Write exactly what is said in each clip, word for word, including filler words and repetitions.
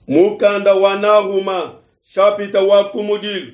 Mukanda wa Nahuma shapita wa kumudilu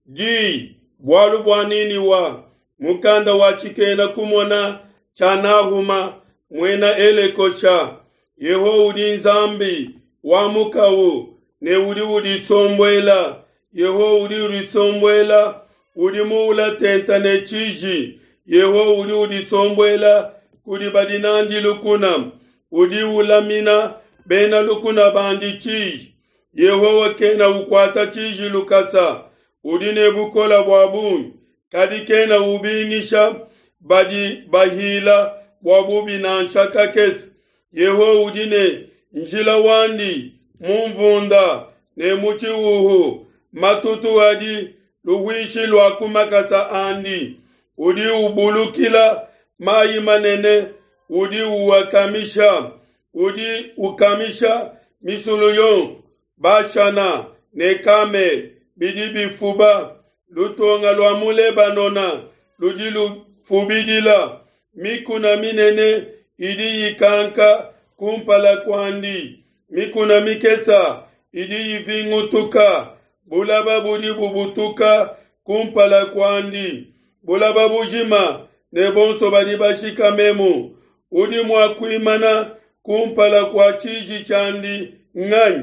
di bualu bua Niniwa mukanda wa tshikena kumona tshia Nahuma muena Elekosha. Yehowa udi Nzambi wa mukawu ne udi udisombuela. Yehowa udi udisombuela, udi muula tenta ne tshiji. Yehowa udi udisombuela kudi badi nandi lukuna, udi ulamina bena lukuna bandi tshiji. Yehowa kena ukuata tshiji lukasa, udi ne bukole bua bungi, kadi kena ubingisha badi bahila bua bubi nansha kakese. Yehowa udi ne njila wandi mu nvunda ne mu tshihuhu, matutu adi luhuishi lua ku makasa andi. Udi ubulukila mai manene, udi uakamisha, udi ukamisha misulu yonso. Bashana ne Kamele bidi bifuba, lutonga lua mu Lebanona ludi lufubidila, mikuna minene idi ikanka kumpala kuandi, mikuna mikese idi ivingutuka, bulaba budi bubutuka kumpala kuandi, bulaba bujima ne bonso badi bashikamemu. Udi mua kuimana kumpala kua tshiji tshiandi nganyi?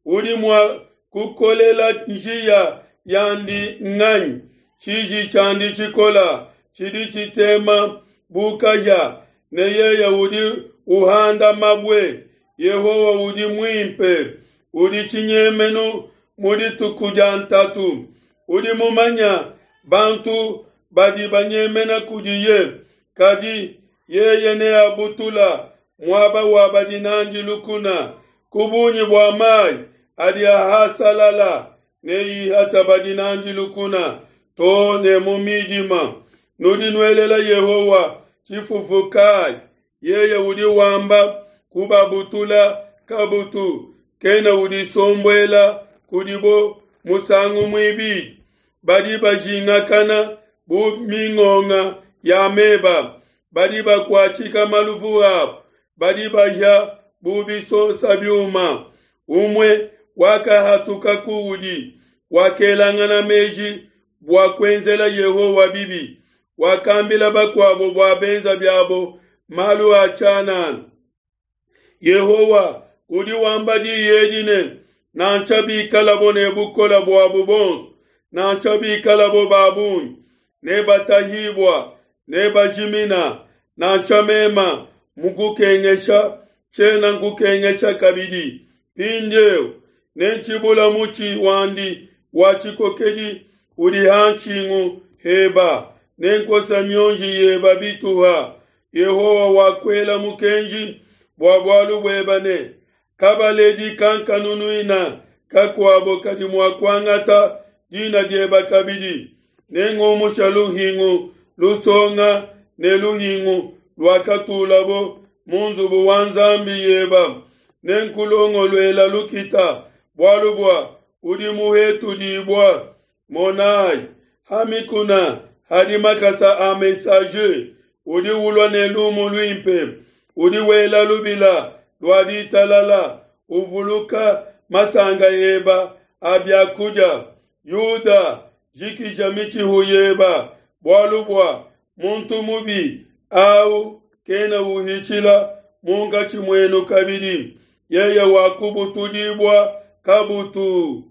Udi mua kukolela njiya yandi nganyi? Tshiji tshiandi tshikola tshidi tshitema bu kahia, ne yeye udi uhanda mabue. Yehowa udi muimpe, udi tshinyemenu mu dituku dia ntatu. Udi mumanya bantu badi banyemena kudiye, kadi yeye neabutula muaba wa badi n'andi lukuna. Ku bungi bua mai adi ahasalala, neihata badi n'andi lukuna to ne mu midima. Nudi nuelela Yehowa tshifufu kai? Yeye udi wamba kubabutula kabutu, kena udisombuela kudibo musangu muibidi. Badi bajingakana bu mingonga ya meba, badi bakuatshika maluvu abo, badi bahia bu bisosa biuma. Umue wakahatuka kuudi, wakelangana meji bua kuenzela Yehowa bibi, wakambila bakuabo bua benza biabo malu a tshianana. Yehowa udi wamba diyi edi ne, nansha bikalabo ne bukole buabo buonso, nansha bikalabo ba bungi, nebatahibua, nebajimina. Nansha mema mukukengesha, tshiena nkukengesha kabidi. Mpindieu nentshibula mutshi wandi wa tshikokedi udi ha nshingu heba, nenkosa mionji yeba bituha. Yehowa wakuela mukenji bua bualu bueba ne, kabaledi kankanunuina kakuabo kadi mua kuangata dina dieba kabidi. Nengumusha luhingu lusonga ne luhingu luakatulabo mu nzubu wa nzambi yeba, nenkulongoluela lukita, bualu bua udi muhetudibua. Monai, ha mikuna hadi makasa a messager udi ulua ne lumu luimpe, udi wela lubila lua ditalala, uvuluka masanka eba a bia kudia. Yuda, jikija mitshihu yeba, bualu bua muntu mubi au kena uhitshila munkatshi muenu kabidi, yeye wakubutudibua kabutu.